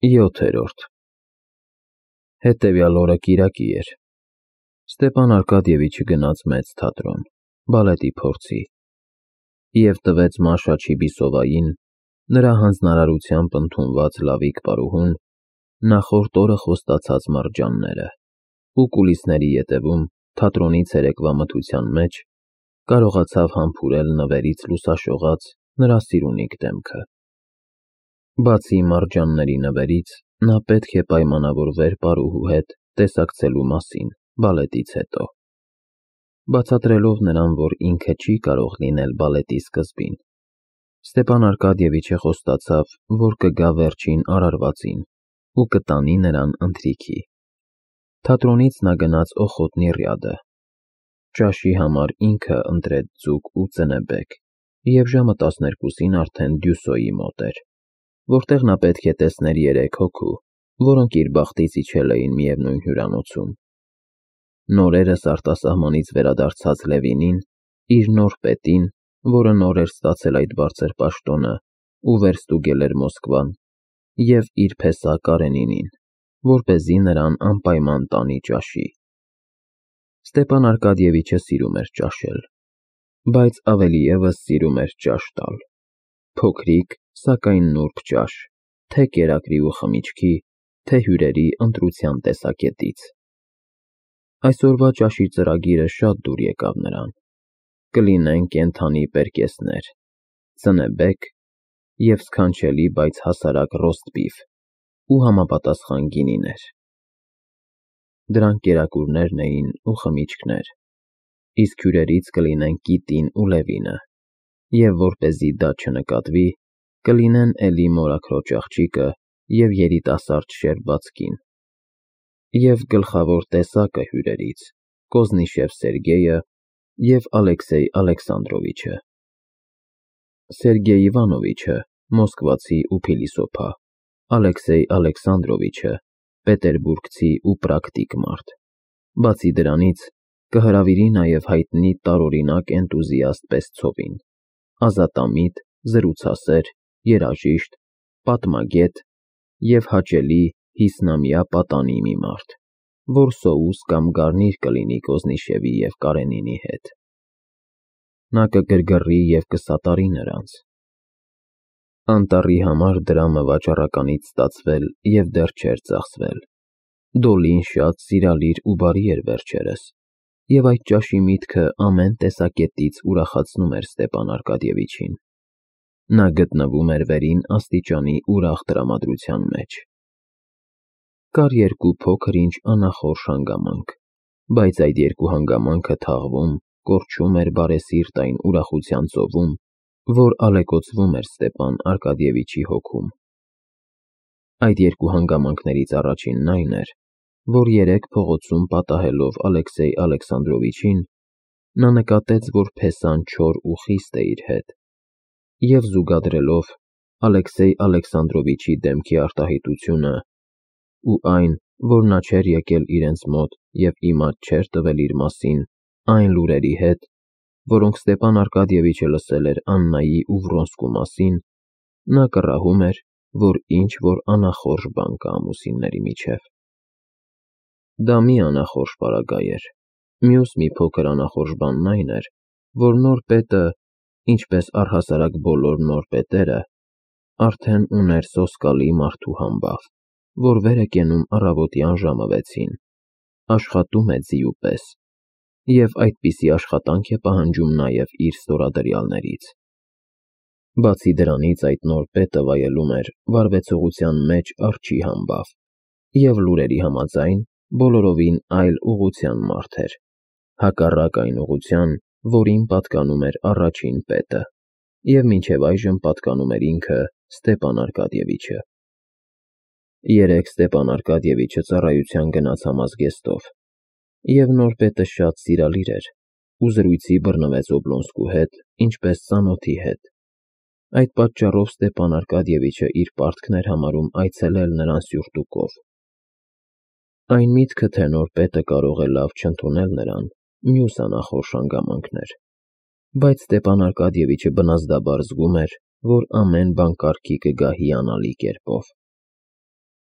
7-րդ Հետևյալ օրը կիրակի էր։ Ստեպան Արկադիևիչը գնաց մեծ թատրոն, բալետի փորձի, և տվեց Մաշա Չիբիսովային, նրա հանձնարարությամբ ընդունված լավիկ պարուհուն, նախորդ օրը խոստացած մարջանները, ու կուլիսների ետևում, թատրոնի ցերեկվա մթության մեջ, կարողացավ համբուրել նվերից լուսաշողած նրա սիրունիկ դեմքը։ Բացի մարջանների նվերից, նա պետք է պայմանավորվեր պարուհու հետ տեսակցելու մասին բալետից հետո, բացատրելով նրան, որ ինքը չի կարող լինել բալետի սկզբին։ Ստեպան Արկադիևիչը խոստացավ, որ կգա վերջին արարվածին ու կտանի նրան ընթրիքի։ Թատրոնից նա գնաց Օխոտնի Ռյադը։ Ճաշի համար ինքը ընտրեց ձուկ ու ծնեբեկ, և ժամը 12-ին արդեն Դյուսոյի մոտ էր, որտեղ նա պետք է տեսներ 3 հոգու, որոնք իր բախտից իջել էին միևնույն հյուրանոցում։ Նորերս արտասահմանից վերադարձած Լևինին, իր նոր պետին, որը նոր էր ստացել այդ բարձր պաշտոնը ու վերստուգել էր Մոսկվան, և իր փեսա Կարենինին, որպեսզի նրան անպայման տանի ճաշի։ Ստեպան Արկադիևիչը սիրում էր ճաշել, բայց ավելի ևս սիրում էր ճաշ տալ։ Փոքրիկ, սակայն նուրբ ճաշ, թե կերակրի ու խմիչքի, թե հյուրերի ընտրության տեսակետից։ Այսօրվա ճաշի ծրագիրը շատ դուր եկավ նրան. կլինեն կենդանի պերկեսներ, ծնեբեկ և սքանչելի, բայց հասարակ ռոստբիֆ ու համապատասխան գինիներ։ Դրանք կերակուրներն էին ու խմիչքներ, իսկ հյուրերից կլինեն Կիտին ու Լևինը, և որպեսզի դա չնկատվի, կլինեն էլի մորաքրոջ աղջիկը և երիտասարդ շերբած կին, և գլխավոր տեսակը հյուրերից՝ Կոզնիշև Սերգեյը և Ալեքսեյ Ալեքսանդրովիչը։ Սերգեյ Իվանովիչը մոսկվացի ու փիլիսոփա, Ալեքսեյ Ալեքսանդրովիչը պետերբուրգցի ու պրակտիկ մարդ։ Բացի դրանից, կհրավիրի նաև հայտնի տարօրինակ էնտուզիաստ Պեսցովին, ազատամիտ, զրուցասեր, երաժիշտ, պատմագետ և հաճելի հիսնամյա պատանի մի մարդ, որ սոուս կամ գարնիր կլինի Կոզնիշևի և Կարենինի հետ։ Նա կգրգռի և կսատարի նրանց։ Անտառի համար դրամը վաճառականից ստացվել և դեռ չէր ծախսվել։ Դոլին շատ սիրալիր ու բարի էր վերջերս, և այդ ճաշի միտքը ամեն տեսակետից ուրախացնում էր Ստեպան Արկադիևիչին։ Նա գտնվում էր վերին աստիճանի ուրախ տրամադրության մեջ։ Կար 2 փոքր-ինչ անախորժ հանգամանք, բայց այդ 2 հանգամանքը թաղվում, կորչում էր բարեսիրտ այն ուրախության ծովում, որ ալեկոծվում էր Ստեպան Արկադիևիչի հոգում։ Այդ 2 հանգամանքներից առաջինն այն էր, որ երեկ փողոցում պատահելով Ալեքսեյ Ալեքսանդրովիչին, նա նկատեց, որ փեսան չոր ու խիստ է իր հետ, և զուգադրելով Ալեքսեյ Ալեքսանդրովիչի դեմքի արտահայտությունը ու այն, որ նա չէր եկել իրենց մոտ և իմաց չէր տվել իր մասին այն լուրերի հետ, որոնք Ստեպան Արկադիևիչը լսել էր Աննայի ու Վրոնսկու մասին, նա կռահում էր, որ ինչ-որ անախորժ բան կա ամուսինների միջև։ Դա մի անախորժ պարագա էր։ Մյուս մի փոքր անախորժ բանն այն էր, որ նոր պետը, ինչպես առհասարակ բոլոր նոր պետերը, արդեն ուներ սոսկալի մարդու համբավ, որ վեր է կենում առավոտյան ժամը 6-ին, աշխատում է ձիու պես, և այդպիսի աշխատանք է պահանջում նաև իր ստորադրյալներից։ Բացի դրանից, այդ նոր պետը վայելում էր վարվեցողության մեջ արջի համբավ, և լուրերի համաձայն բոլորովին այլ ուղղության մարդ էր, հակառակ այն ուղղության, որին պատկանում էր առաջին պետը, և մինչև այժմ պատկանում էր ինքը Ստեպան Արկադիևիչը։ Երեկ Ստեպան Արկադիևիչը ծառայության գնաց համազգեստով, և նոր պետը շատ սիրալիր էր ու զրույցի բռնվեց Օբլոնսկու հետ, ինչպես ծանոթի հետ։ Այդ պատճառով Ստեպան Արկադիևիչը իր պարտքն էր համարում այցելել նրան սյուրտուկով։ Այն միտքը, թե նոր պետը կարող է լավ չընդունել նրան, մյուս անախորժ հանգամանքն էր, բայց Ստեպան Արկադիևիչը բնազդաբար զգում էր, որ ամեն բան կարգի կգա հիանալի կերպով։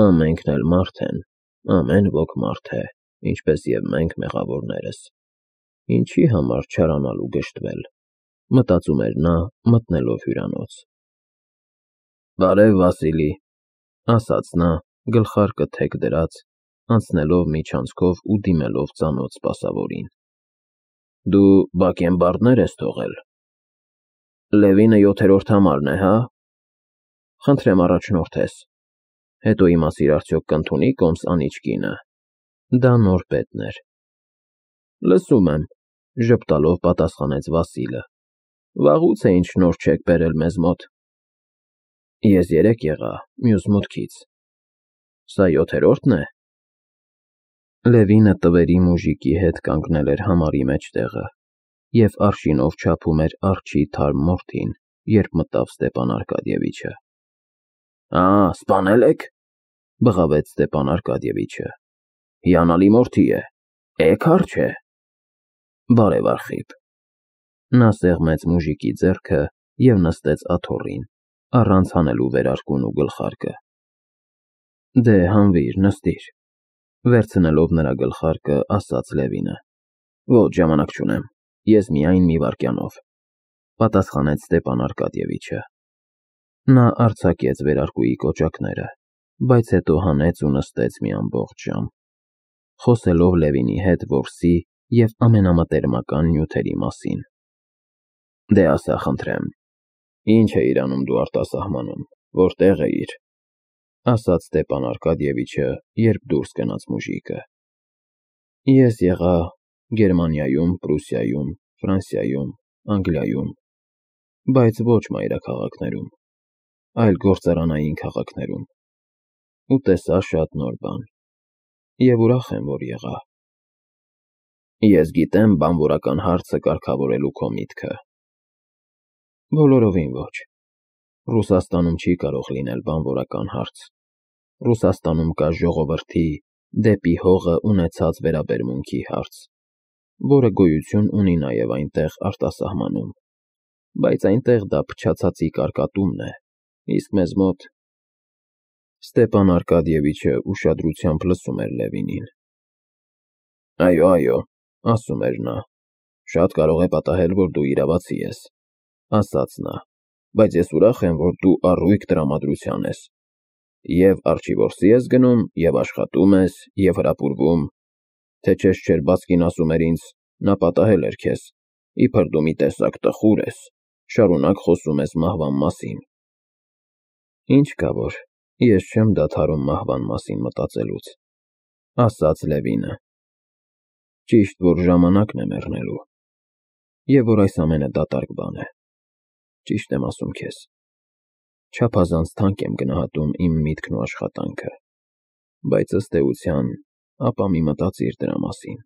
Ամենքն էլ մարդ են, ամեն ոք մարդ է, ինչպես և մենք մեղավորներս։ Ինչի համար չարանալ ու գժտվել, մտածում էր նա, մտնելով հյուրանոց։ Բարև, Վասիլի, ասաց նա, գլխարկը թեք դրած, անցնելով միջանցքով ու դիմելով ծանոթ սպասավորին։ Դու բակենբարդներ ես թողել։ Լևինը 7-րդ համարն է, հա։ Խնդրեմ առաջնորդես։ Հետո իմասիր արդյոք կընդունի կոմս անիչ կինը։ Դա նոր պետն էր։ Լսում եմ, ժպտալով պատասխանեց Վասիլը։ Վաղուց է ինչ նոր չեք բերել մեզ մոտ։ Ես երեկ եղա, մյուս մուտքից։ Սա 7-րդն է։ Լևինը տվերի մուժիկի հետ կանգնել էր համարի մեջտեղը և արշինով չափում էր արջի թարմ մորթին, երբ մտավ Ստեպան Արկադիևիչը։ Սպանել եք, բղավեց Ստեպան Արկադիևիչը։ Հիանալի մորթի է, էգ է։ Բարև Արխիպ։ Նա սեղմեց մուժիկի ձեռքը և նստեց աթոռին, առանց հանելու վերարկուն ու գլխարկը։ Դե հանվիր, նստիր, վերցնելով նրա գլխարկը, ասաց Լևինը։ Ոչ, ժամանակ չունեմ, ես միայն մի վայրկյանով, պատասխանեց Ստեպան Արկադիևիչը։ Նա արձակեց վերարկուի կոճակները, բայց հետո հանեց ու նստեց մի ամբողջ ժամ, խոսելով Լևինի հետ որսի և ամենամտերմական նյութերի մասին։ Դե ասա, խնդրեմ, ինչ էիր անում դու արտասահմանում, որտեղ էիր, ասաց Ստեպան Արկադիևիչը, երբ դուրս գնաց մուժիկը։ Ես եղա Գերմանիայում, Պրուսիայում, Ֆրանսիայում, Անգլիայում, բայց ոչ մայրաքաղաքներում, այլ գործարանային քաղաքներում, ու տեսա շատ նոր բան, և ուրախ եմ, որ եղա։ Ես գիտեմ բանվորական հարցը կարգավորելու քո միտքը։ Բոլորովին ոչ։ Ռուսաստանում չի կարող լինել բանվորական հարց։ Ռուսաստանում կա ժողովրդի դեպի հողը ունեցած վերաբերմունքի հարց, որը գոյություն ունի նաև այնտեղ արտասահմանում, բայց այնտեղ դա փչացածի կարկատումն է, իսկ մեզ մոտ… Ստեպան Արկադիևիչը ուշադրությամբ լսում էր Լևինին։ Այո, ասում էր նա, շատ կարող է պատահել, որ դու իրավացի ես, ասաց նա, բայց ես ուրախ եմ, որ դու առույգ տրամադրության ես, և արջի ես գնում, և աշխատում ես, և հրապուրվում, թե չես չէր Բասկին ասում էր ինձ, նա պատահել էր քեզ, իբր դու մի տեսակ տխուր ես, շարունակ խոսում ես մահվան մասին։ Ինչ կա որ, ես չեմ դադարում մահվան մասին մտածելուց, ասաց Լևինը։ Ճիշտ, որ ժամանակն է մեռնելու, և որ այս ամենը դատարկ բան է։ Ճիշտ եմ ասում քեզ։ Չափազանց թանկ եմ գնահատում իմ միտքն ու աշխատանքը, բայց ըստ էության, ապա մի մտածիր դրա մասին։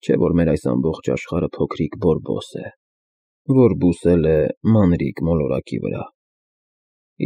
Չէ՞ որ մեր այս ամբողջ աշխարհը փոքրիկ բորբոս է, որ բուսել է մանրիկ մոլորակի վրա,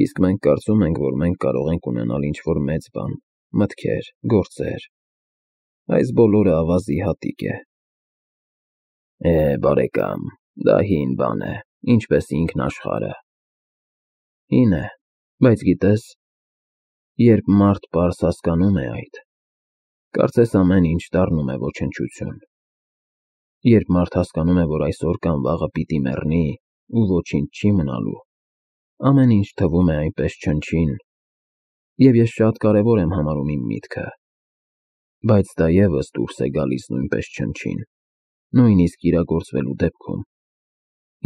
իսկ մենք կարծում ենք, որ մենք կարող ենք ունենալ ինչ-որ մեծ բան, մտքեր, գործեր։ Այս բոլորը ավազի հատիկ է։ Բարեկամ, դա հին բան է, ինչպես ինքնաշխարհը։ Հին է, բայց գիտես, երբ մարդ պարզ հասկանում է այդ, կարծես ամեն ինչ դառնում է ոչնչություն։ Երբ մարդ հասկանում է, որ այսօր կամ վաղը պիտի մեռնի ու ոչինչ չի մնալու, ամեն ինչ թվում է այնպես չնչին, և ես շատ կարևոր եմ համարում իմ միտքը, բայց դա ևս դուրս է գալիս նույնպես չնչին, նույնիսկ իրագործվելու դեպքում,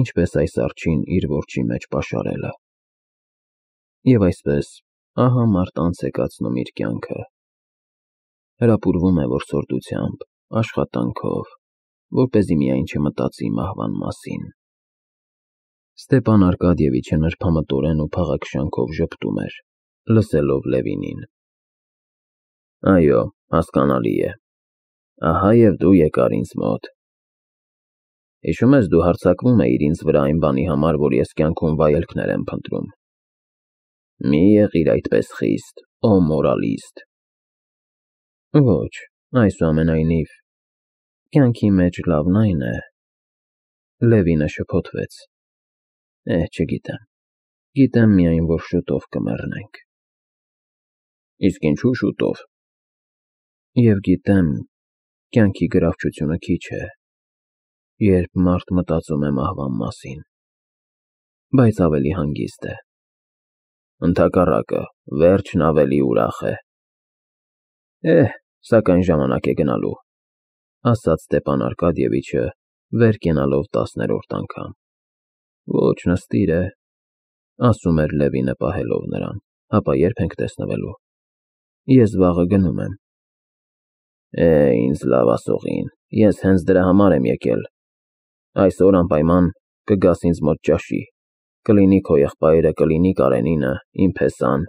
ինչպես այս արջին իր որջի մեջ պաշարելը։ Եվ այսպես, ահա մարդ անց է կացնում իր կյանքը, հրապուրվում է որսորդությամբ, աշխատանքով, որպեսզի միայն չմտածի մահվան մասին։ Ստեպան Արկադիևիչը նրբամտորեն ու փաղաքշանքով ժպտում էր, լսելով Լևինին։ Այո, հասկանալի է։ Ահա և դու եկար ինձ մոտ։ Հիշում ես, դու հարձակվում էիր ինձ վրա այն բանի համար, որ ես կյանքում վայելքներ եմ փնտրում։ Մի եղիր այդպես խիստ, ո մորալիստ։ Ոչ, այսուամենայնիվ, կյանքի մեջ լավն այն է… Լևինը շփոթվեց։ Չգիտեմ, գիտեմ միայն, որ շուտով կմեռնենք։ Իսկ ինչու շուտով։ Եվ գիտեմ, կյանքի գրավչությունը քիչ է, երբ մարդ մտածում է մահվան մասին, բայց ավելի հանգիստ է։ Ընդհակառակը, վերջն ավելի ուրախ է։ Սակայն ժամանակ է գնալու, ասաց Ստեփան Արկադիևիչը, վեր կենալով 10-րդ անգամ։ Ոչ նստիր է, ասում էր Լևինը պահելով նրան, հապա երբ ենք տեսնվելու։ Ես վաղը գնում եմ։ Ինձ լավ ասողին, ես հենց դրա համար եմ եկել։ Այսօր անպայման կգաս ինձ մոտ ճաշի, կլինի քո եղբայրը, կլինի Կարենինը, իմ փեսան։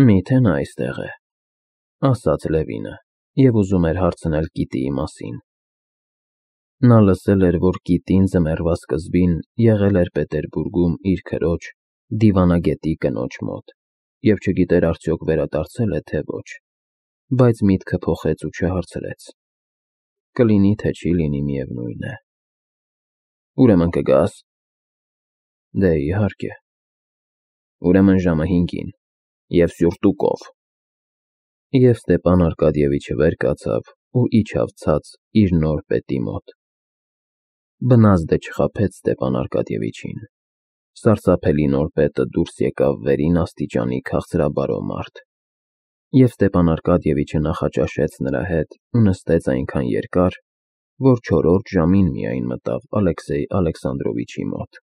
Միթե նա այստեղ է, ասաց Լևինը, և ուզում էր հարցնել Կիտիի մասին։ Նա լսել էր, որ Կիտին ձմեռվա սկզբին եղել էր Պետերբուրգում իր քրոջ, դիվանագետի կնոջ մոտ, և չգիտեր արդյոք վերադարձել է, թե ոչ, բայց միտքը փոխեց ու չհարցրեց։ Կլինի, թե չի լինի, միևնույն է։ Ուրեմն կգաս։ Դե իհարկե։ Ուրեմն ժամը 5-ին, և սյուրտուկով։ Եվ Ստեփան Արկադիևիչը վեր կացավ ու իջավ ցած իր նոր պետի մոտ։ Բնազդը չխաբեց Ստեփան Արկադիևիչին։ Սարսափելի նոր պետը դուրս եկավ վերին աստիճանի քաղցրաբարո մարդ, և Ստեփան Արկադիևիչը նախաճաշեց նրա հետ ու նստեց այնքան երկար, որ 4-րդ ժամին միայն մտավ Ալեքսեյ Ալեքսանդրովիչի մոտ։